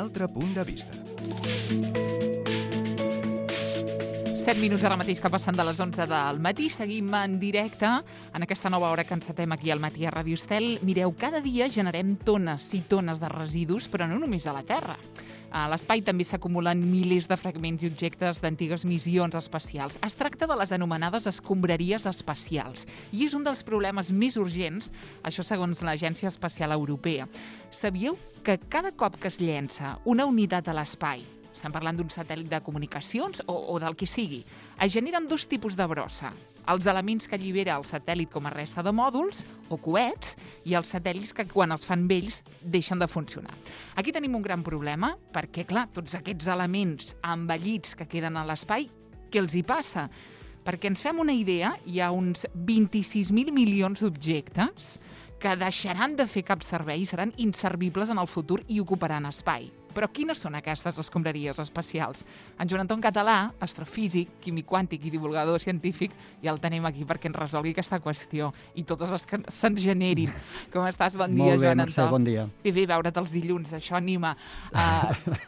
altre punt de vista. 7 minuts ara mateix que passen de les 11 del matí. Seguim en directe en aquesta nova hora que encetem aquí al matí a Ràdio Estel. Mireu, cada dia generem tones i tones de residus, però no només a la Terra. A l'espai també s'acumulen milers de fragments i objectes d'antigues missions espacials. Es tracta de les anomenades escombraries espacials i és un dels problemes més urgents, això segons l'Agència Espacial Europea. Sabíeu que cada cop que es llença una unitat a l'espai, estem parlant d'un satèl·lit de comunicacions o del que sigui, es generen dos tipus de brossa. Els elements que allibera el satèl·lit com a resta de mòduls o coets i els satèl·lits que quan els fan vells deixen de funcionar. Aquí tenim un gran problema perquè, clar, tots aquests elements envellits que queden a l'espai, què els hi passa? Perquè ens fem una idea, hi ha uns 26.000 milions d'objectes que deixaran de fer cap servei i seran inservibles en el futur i ocuparan espai. Però quines són aquestes escombraries espacials? En Joan Anton Català, astrofísic, químic quàntic i divulgador científic, ja el tenim aquí perquè ens resolgui aquesta qüestió i totes les que se'n generin. Com estàs? Bon dia, Joan Anton. Molt bé, Mercè, bon dia. I bé, veure't els dilluns, això anima.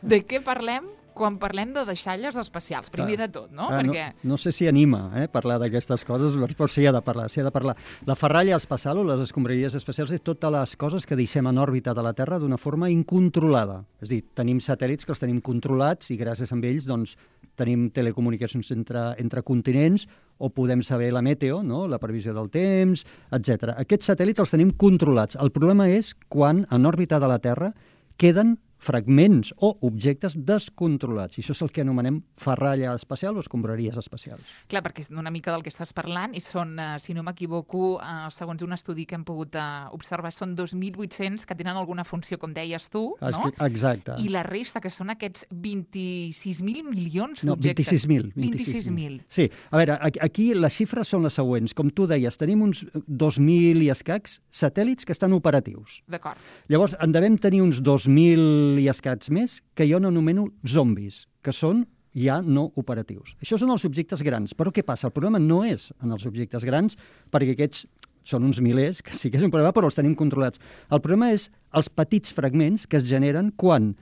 De què parlem quan parlem de deixalles espacials? Primer de tot, no? Perquè... No sé si anima parlar d'aquestes coses, però sí ha de parlar. La ferralla espacial o les escombraries espacials és totes les coses que deixem en òrbita de la Terra d'una forma incontrolada. És a dir, tenim satèl·lits que els tenim controlats i gràcies a ells doncs, tenim telecomunicacions entre continents o podem saber la meteo, no? La previsió del temps, etc. Aquests satèl·lits els tenim controlats. El problema és quan en òrbita de la Terra queden fragments o objectes descontrolats. I això és el que anomenem ferralla espacial o escombraries espacials. Clar, perquè una mica del que estàs parlant, i són, si no m'equivoco, segons un estudi que hem pogut observar, són 2.800 que tenen alguna funció, com deies tu, no? Exacte. I la resta, que són aquests 26.000 milions d'objectes. No, 26.000. Sí, a veure, aquí les xifres són les següents. Com tu deies, tenim uns 2.000 i escacs satèl·lits que estan operatius. D'acord. Llavors, en devem tenir uns 2.000 i escats més que jo n'anomeno zombis, que són ja no operatius. Això són els objectes grans. Però què passa? El problema no és en els objectes grans, perquè aquests són uns milers, que sí que és un problema, però els tenim controlats. El problema és els petits fragments que es generen quan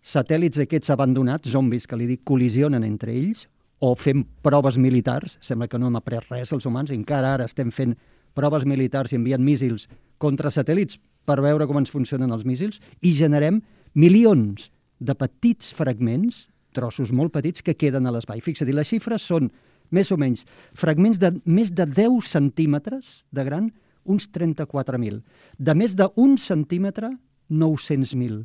satèl·lits aquests abandonats, zombis que li dic, col·lisionen entre ells, o fem proves militars, sembla que no hem après res els humans, encara ara estem fent proves militars i enviant míssils contra satèl·lits per veure com ens funcionen els míssils, i generem milions de petits fragments, trossos molt petits, que queden a l'espai. Fixa't, les xifres són més o menys fragments de més de 10 centímetres de gran, uns 34.000. De més d'1 centímetre, 900.000.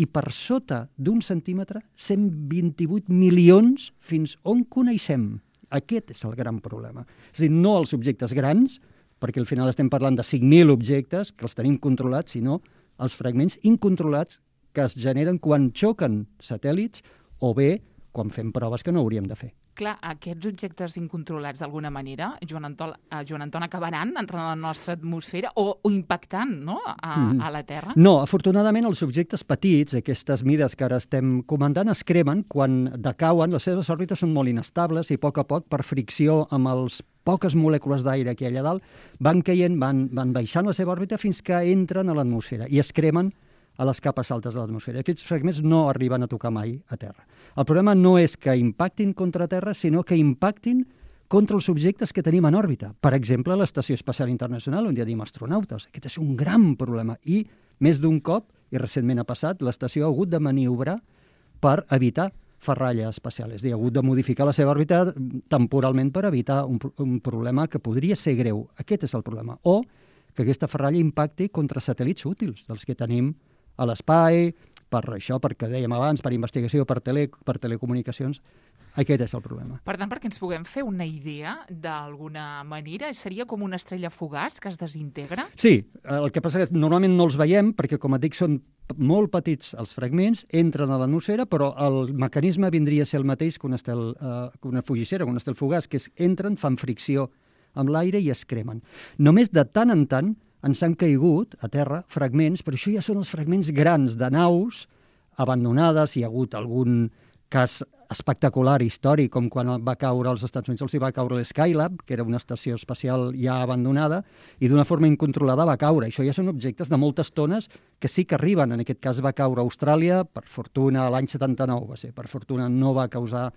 I per sota d'1 centímetre, 128 milions fins on coneixem. Aquest és el gran problema. És a dir, no els objectes grans, perquè al final estem parlant de 5.000 objectes que els tenim controlats, sinó els fragments incontrolats que es generen quan xoquen satèl·lits o bé quan fem proves que no hauríem de fer. Clar, aquests objectes incontrolats d'alguna manera, Joan Anton, acabaran entrant a la nostra atmosfera o impactant, no?, a la Terra? No, afortunadament els objectes petits, aquestes mides que ara estem comentant, es cremen quan decauen, les seves òrbites són molt inestables i a poc, per fricció amb els poques molècules d'aire que hi ha allà dalt, van caient, van baixant la seva òrbita fins que entren a l'atmosfera i es cremen a les capes altes de l'atmosfera. Aquests fragments no arriben a tocar mai a Terra. El problema no és que impactin contra Terra, sinó que impactin contra els objectes que tenim en òrbita. Per exemple, l'Estació Espacial Internacional, on hi tenim astronautes. Aquest és un gran problema. I més d'un cop, i recentment ha passat, l'estació ha hagut de maniobrar per evitar ferralla espacial. És a dir, ha hagut de modificar la seva òrbita temporalment per evitar un problema que podria ser greu. Aquest és el problema. O que aquesta ferralla impacti contra satèl·lits útils, dels que tenim a l'espai, per això, perquè dèiem abans, per investigació, per telecomunicacions. Aquest és el problema. Per tant, perquè ens puguem fer una idea, d'alguna manera, seria com una estrella fugaç que es desintegra? Sí, el que passa és que normalment no els veiem, perquè, com et dic, són molt petits els fragments, entren a l'atmosfera, però el mecanisme vindria a ser el mateix que una fugissera, que un estel fugaç, que és entren, fan fricció amb l'aire i es cremen. Només de tant en tant ens han caigut a terra fragments, però això ja són els fragments grans de naus abandonades, hi ha hagut algun cas espectacular, històric, com quan va caure als Estats Units, els hi va caure l'Skylab, que era una estació espacial ja abandonada, i d'una forma incontrolada va caure. Això ja són objectes de moltes tones que sí que arriben. En aquest cas va caure a Austràlia, per fortuna l'any 79 va ser, per fortuna no va causar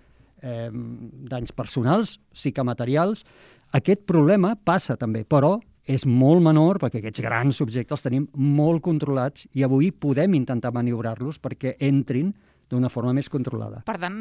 danys personals, sí que materials. Aquest problema passa també, però és molt menor perquè aquests grans objectes els tenim molt controlats i avui podem intentar maniobrar-los perquè entrin d'una forma més controlada. Per tant,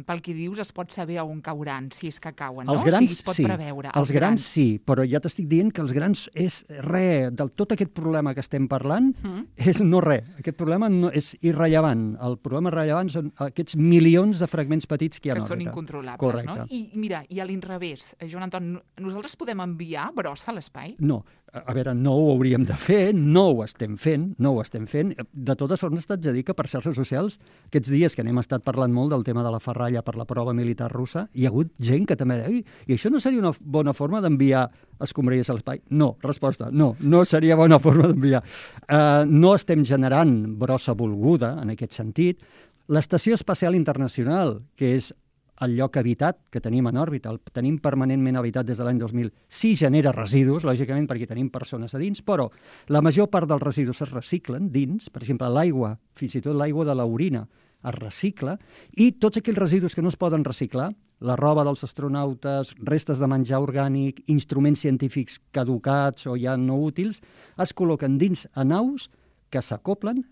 pel que dius, es pot saber on cauran, si és que cauen, no? Els grans, o sigui, es pot sí. preveure. Els grans sí, però ja t'estic dient que els grans és res. Del tot aquest problema que estem parlant és no res. Aquest problema no, és irrellevant. El problema rellevant són aquests milions de fragments petits que hi ha en òrbita. Que són incontrolables, correcte. No? I mira, i a l'inrevés, Joan Anton, nosaltres podem enviar brossa a l'espai? No. A veure, no ho hauríem de fer, no ho estem fent. De totes formes, t'haig de dir que per xarxes socials, aquests dies que n'hem estat parlant molt del tema de la ferralla per la prova militar russa, hi ha hagut gent que també deia, i això no seria una bona forma d'enviar escombraries a l'espai? No, resposta, no seria bona forma d'enviar. No estem generant brossa volguda, en aquest sentit. L'Estació Espacial Internacional, que és el lloc habitat que tenim en òrbita, el tenim permanentment habitat des de l'any 2000, sí genera residus, lògicament perquè tenim persones a dins, però la major part dels residus es reciclen dins, per exemple, l'aigua, fins i tot l'aigua de l'orina, es recicla, i tots aquells residus que no es poden reciclar, la roba dels astronautes, restes de menjar orgànic, instruments científics caducats o ja no útils, es col·loquen dins a naus que s'acoplen,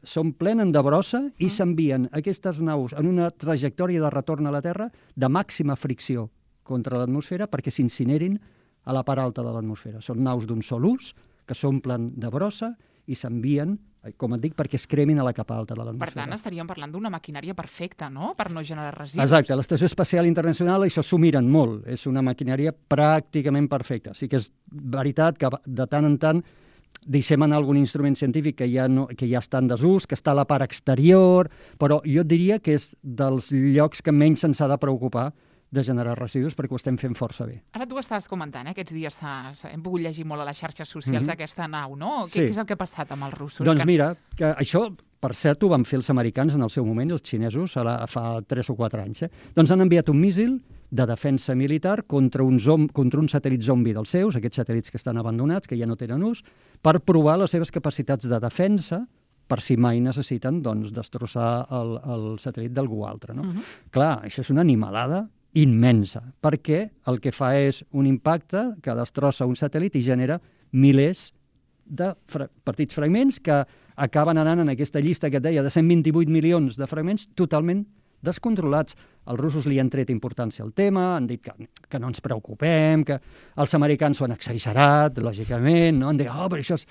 s'omplenen de brossa i s'envien aquestes naus en una trajectòria de retorn a la Terra de màxima fricció contra l'atmosfera perquè s'incinerin a la part alta de l'atmosfera. Són naus d'un sol ús que s'omplen de brossa i s'envien, com et dic, perquè es cremin a la capa alta de l'atmosfera. Per tant, estaríem parlant d'una maquinària perfecta, no?, per no generar residus. Exacte, l'Estació Espacial Internacional això s'ho miren molt, és una maquinària pràcticament perfecta. Sí que és veritat que de tant en tant deixem anar algun instrument científic que ja està en desús, que està a la part exterior, però jo et diria que és dels llocs que menys se'ns ha de preocupar de generar residus perquè ho estem fent força bé. Ara tu estaves comentant, aquests dies hem pogut llegir molt a les xarxes socials aquesta nau, no? Sí. Què és el que ha passat amb els russos? Doncs mira, que això, per cert, ho van fer els americans en el seu moment, els xinesos, fa 3 o 4 anys. Doncs han enviat un míssil de defensa militar contra un satèl·lit zombi dels seus, aquests satèl·lits que estan abandonats, que ja no tenen ús, per provar les seves capacitats de defensa per si mai necessiten destrossar el satèl·lit d'algú altre. No? Clar, això és una animalada immensa, perquè el que fa és un impacte que destrossa un satèl·lit i genera milers de petits fragments que acaben anant en aquesta llista que et deia de 128 milions de fragments totalment descontrolats. Els russos li han tret importància al tema, han dit que no ens preocupem, que els americans ho han exagerat, lògicament, no? Han dit, però això és...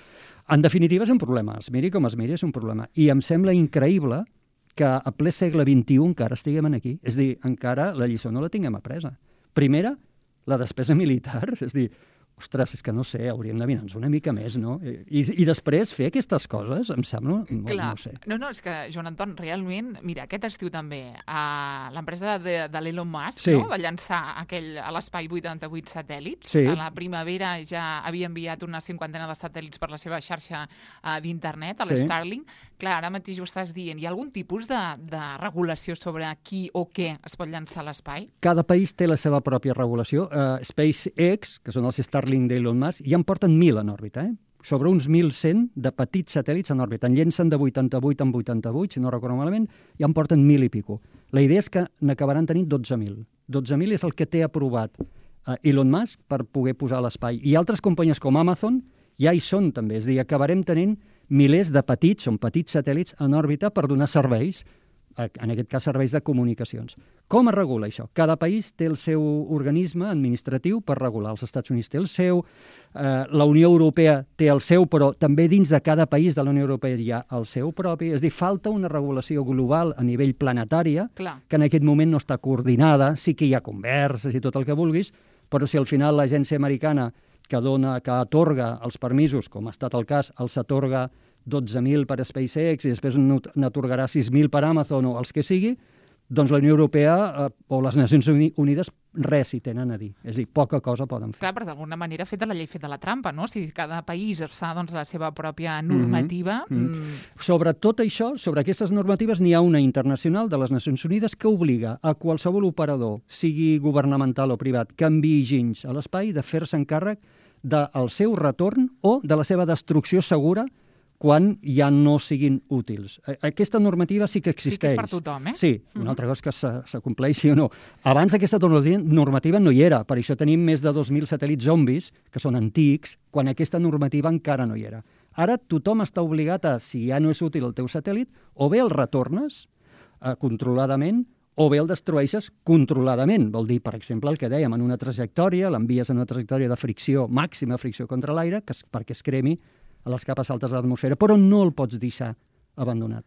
En definitiva és un problema, es miri com es miri, és un problema. I em sembla increïble que a ple segle XXI encara estiguem aquí. És a dir, encara la lliçó no la tinguem apresa. Primera, la despesa militar, és a dir, ostres, és que no sé, hauríem de mirar-nos una mica més, no? I després fer aquestes coses, em sembla, no sé. No, és que, Joan Anton, realment, mira, aquest estiu també, l'empresa de l'Elon Musk va llançar a l'espai 88 satèl·lits. Sí. A la primavera ja havia enviat una 50ena de satèl·lits per la seva xarxa d'internet, a l'Starlink. Clar, ara mateix ho estàs dient. Hi ha algun tipus de regulació sobre qui o què es pot llançar a l'espai? Cada país té la seva pròpia regulació. SpaceX, que són els Starlink d'Elon Musk, ja en porten 1.000 en òrbita, sobre uns 1.100 de petits satèl·lits en òrbita. En llencen de 88 en 88, si no recordo malament, ja en porten 1.000 i pico. La idea és que n'acabaran tenint 12.000. 12.000 és el que té aprovat Elon Musk per poder posar a l'espai. I altres companyies com Amazon ja hi són també. És a dir, acabarem tenint milers de petits satèl·lits en òrbita per donar serveis, en aquest cas serveis de comunicacions. Com es regula això? Cada país té el seu organisme administratiu per regular. Els Estats Units té el seu, la Unió Europea té el seu, però també dins de cada país de la Unió Europea hi ha el seu propi. És a dir, falta una regulació global a nivell planetària, que en aquest moment no està coordinada, sí que hi ha converses i tot el que vulguis, però si al final l'agència americana que atorga els permisos, com ha estat el cas, els atorga 12.000 per SpaceX i després n'atorgarà 6.000 per Amazon o els que sigui, doncs la Unió Europea o les Nacions Unides res hi tenen a dir. És a dir, poca cosa poden fer. Clar, però d'alguna manera feta la llei, feta la trampa, no? Si cada país es fa la seva pròpia normativa... Sobre tot això, sobre aquestes normatives, n'hi ha una internacional de les Nacions Unides que obliga a qualsevol operador, sigui governamental o privat, que enviï ginys a l'espai, de fer-se encàrrec del seu retorn o de la seva destrucció segura quan ja no siguin útils. Aquesta normativa sí que existeix. Sí que és per tothom, Sí, una altra cosa és que s'acompleixi o no. Abans aquesta normativa no hi era, per això tenim més de 2.000 satèl·lits zombis, que són antics, quan aquesta normativa encara no hi era. Ara tothom està obligat a, si ja no és útil el teu satèl·lit, o bé el retornes controladament, o bé el destrueixes controladament. Vol dir, per exemple, el que dèiem, en una trajectòria, l'envies en una trajectòria de fricció, màxima fricció contra l'aire, perquè es cremi a les capes altes de l'atmosfera, però no el pots deixar abandonat.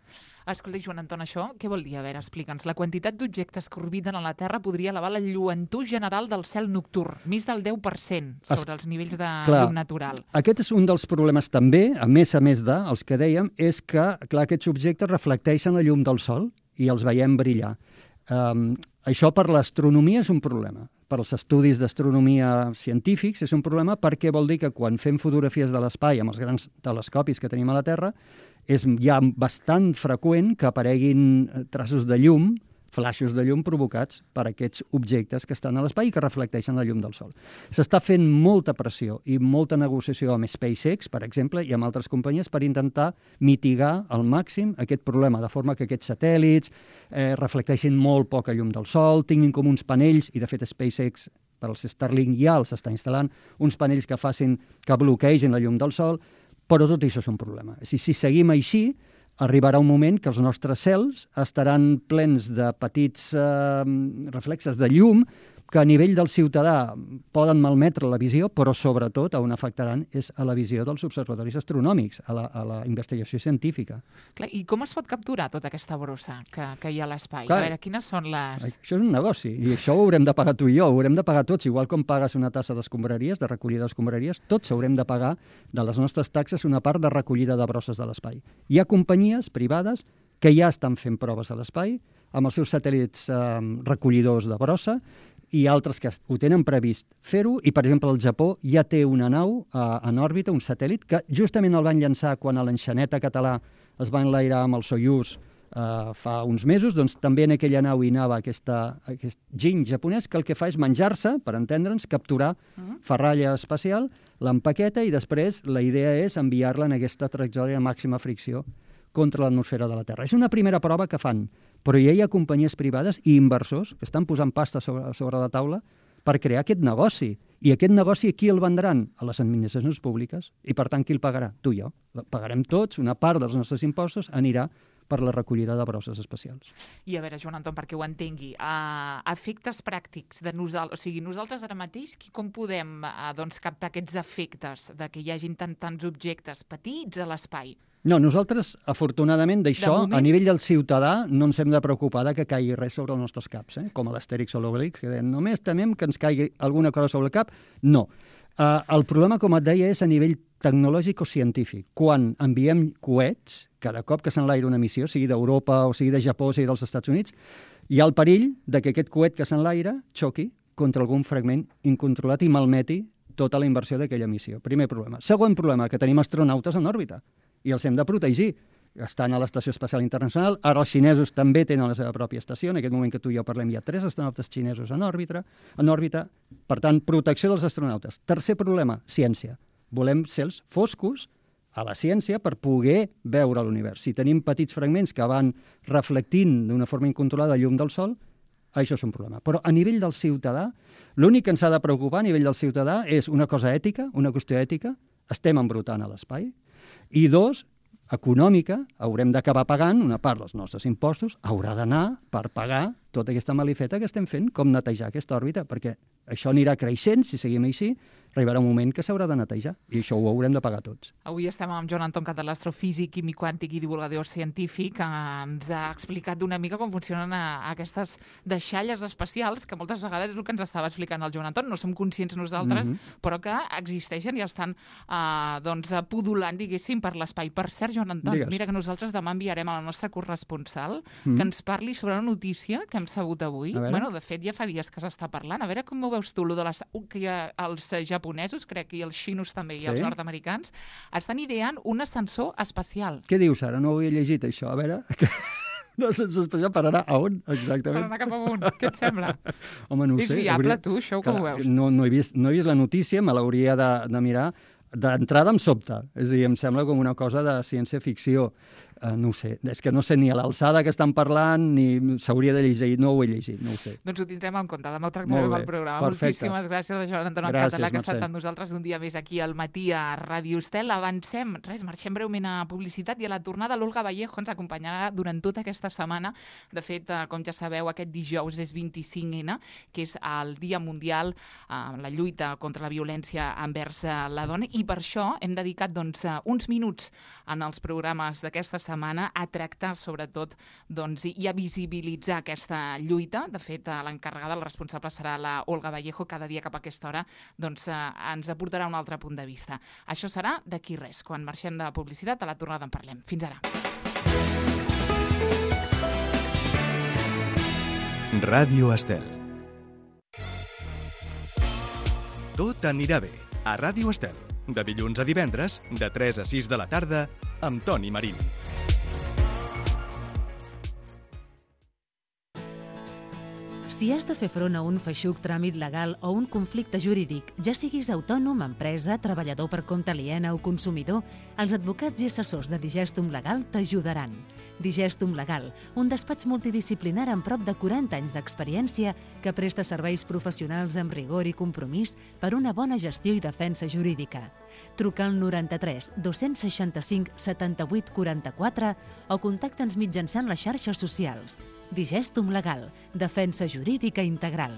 Escolta, Joan Anton, això què vol dir? A veure, explica'ns. La quantitat d'objectes que orbiten a la Terra podria elevar la lluentor general del cel nocturn, més del 10% sobre els nivells de llum natural. Aquest és un dels problemes també, a més els que dèiem, és que, clar, aquests objectes reflecteixen la llum del Sol i els veiem brillar. Això per l'astronomia és un problema. Per als estudis d'astronomia científics és un problema perquè vol dir que quan fem fotografies de l'espai amb els grans telescopis que tenim a la Terra és ja bastant freqüent que apareguin traços de llum, flaixos de llum provocats per aquests objectes que estan a l'espai i que reflecteixen la llum del Sol. S'està fent molta pressió i molta negociació amb SpaceX, per exemple, i amb altres companyies per intentar mitigar al màxim aquest problema, de forma que aquests satèl·lits reflecteixin molt poca llum del Sol, tinguin com uns panells, i de fet SpaceX per als Starlink ja els està instal·lant, uns panells que bloquegin la llum del Sol, però tot això és un problema. Si seguim així, arribarà un moment que els nostres cels estaran plens de petits reflexes de llum que a nivell del ciutadà poden malmetre la visió, però sobretot on afectaran és a la visió dels observatoris astronòmics, a la investigació científica. Clar, i com es pot capturar tota aquesta brossa que hi ha a l'espai? A veure, quines són les... Això és un negoci, i això ho haurem de pagar tu i jo, ho haurem de pagar tots, igual com pagues una tassa d'escombraries, de recollida d'escombraries, tots haurem de pagar de les nostres taxes una part de recollida de brosses de l'espai. Hi ha companyies privades que ja estan fent proves a l'espai, amb els seus satèl·lits recollidors de brossa, i altres que ho tenen previst fer-ho, i per exemple el Japó ja té una nau en òrbita, un satèl·lit, que justament el van llançar quan a l'enxaneta català es va enlairar amb el Soyuz fa uns mesos, doncs també en aquella nau hi anava aquest giny japonès que el que fa és menjar-se, per entendre'ns, capturar ferralla espacial, l'empaqueta i després la idea és enviar-la en aquesta trajectòria de màxima fricció contra l'atmosfera de la Terra. És una primera prova que fan, però ja hi ha companyies privades i inversors que estan posant pasta sobre la taula per crear aquest negoci. I aquest negoci qui el vendran? A les administracions públiques. I per tant, qui el pagarà? Tu i jo. Pagarem tots, una part dels nostres impostos anirà per la recollida de brosses espacials. I a veure, Joan Anton, perquè ho entengui, efectes pràctics de nosaltres, o sigui, nosaltres ara mateix, com podem captar aquests efectes de que hi hagin tants objectes petits a l'espai? No, nosaltres, afortunadament, d'això, a nivell del ciutadà, no ens hem de preocupar que caigui res sobre els nostres caps, com a l'Astèrix o l'Obélix, que deien, només temem que ens caigui alguna cosa sobre el cap. No. El problema, com et deia, és a nivell tecnològic o científic. Quan enviem coets, cada cop que s'enlaira una missió, sigui d'Europa o sigui de Japó o sigui dels Estats Units, hi ha el perill de que aquest coet que s'enlaira xoqui contra algun fragment incontrolat i malmeti tota la inversió d'aquella missió. Primer problema. Segon problema, que tenim astronautes en òrbita i els hem de protegir. Estan a l'Estació Espacial Internacional, ara els xinesos també tenen la seva pròpia estació, en aquest moment que tu i jo parlem hi ha 3 astronautes xinesos en òrbita, per tant, protecció dels astronautes. Tercer problema, ciència. Volem cels foscos a la ciència per poder veure l'univers. Si tenim petits fragments que van reflectint d'una forma incontrolada llum del Sol, això és un problema. Però a nivell del ciutadà, l'únic que ens ha de preocupar a nivell del ciutadà és una cosa ètica, una qüestió ètica, estem embrutant a l'espai, i 2, econòmica, haurem d'acabar pagant una part dels nostres impostos, haurà d'anar per pagar tota aquesta malifeta que estem fent, com netejar aquesta òrbita, perquè això anirà creixent, si seguim així, arribarà un moment que s'haurà de netejar, i això ho haurem de pagar tots. Avui estem amb Joan Anton Català, astrofísic, químic quàntic i divulgador científic, que ens ha explicat d'una mica com funcionen aquestes deixalles espacials, que moltes vegades és el que ens estava explicant el Joan Anton, no som conscients nosaltres, però que existeixen i estan pudulant, diguéssim, per l'espai. Per cert, Joan Anton, mira que nosaltres demà enviarem a la nostra corresponsal que ens parli sobre una notícia que hem sabut avui. Bueno, de fet, ja fa dies que s'està parlant. A veure com ho veus tu, que hi ha els japonesos, crec, i els xinos també, i els nord-americans, estan ideant un ascensor espacial. Què dius ara? No ho he llegit, això. A veure... Un ascensor espacial per anar a on, exactament? Per anar cap amunt, què et sembla? Home, no ho sé. És viable, tu, això, com ho veus? No he vist la notícia, me l'hauria de mirar. D'entrada em sobta, és a dir, em sembla com una cosa de ciència-ficció. No ho sé, és que no sé ni a l'alçada que estan parlant, ni s'hauria de llegir, no ho he llegit, no ho sé. Doncs ho tindrem en compte, demà ho tractarem al programa. Perfecte. Moltíssimes gràcies a Joan Anton Català, que ha estat amb nosaltres un dia més aquí al matí a Ràdio Estel. Avancem, marxem breument a publicitat i a la tornada l'Olga Vallejo ens acompanyarà durant tota aquesta setmana. De fet, com ja sabeu, aquest dijous és 25N, que és el Dia Mundial, la lluita contra la violència envers la dona, i per això hem dedicat uns minuts en els programes d'aquesta setmana a tractar, sobretot, i a visibilitzar aquesta lluita. De fet, l'encarregada, la responsable, serà la Olga Vallejo. Cada dia cap a aquesta hora ens aportarà un altre punt de vista. Això serà d'aquí res. Quan marxem de publicitat, a la tornada en parlem. Fins ara. Ràdio Estel. Tot anirà bé a Ràdio Estel. De dilluns a divendres, de 3 a 6 de la tarda, amb Toni Marín. Si has de fer front a un feixuc tràmit legal o un conflicte jurídic, ja siguis autònom, empresa, treballador per compte aliena o consumidor, els advocats i assessors de Digestum Legal t'ajudaran. Digestum Legal, un despatx multidisciplinar amb prop de 40 anys d'experiència que presta serveis professionals amb rigor i compromís per una bona gestió i defensa jurídica. Truca al 93 265 78 44 o contacta'ns mitjançant les xarxes socials. Digestum Legal, defensa jurídica integral.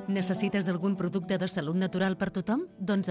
Necessites algun producte de salut natural per tothom? Doncs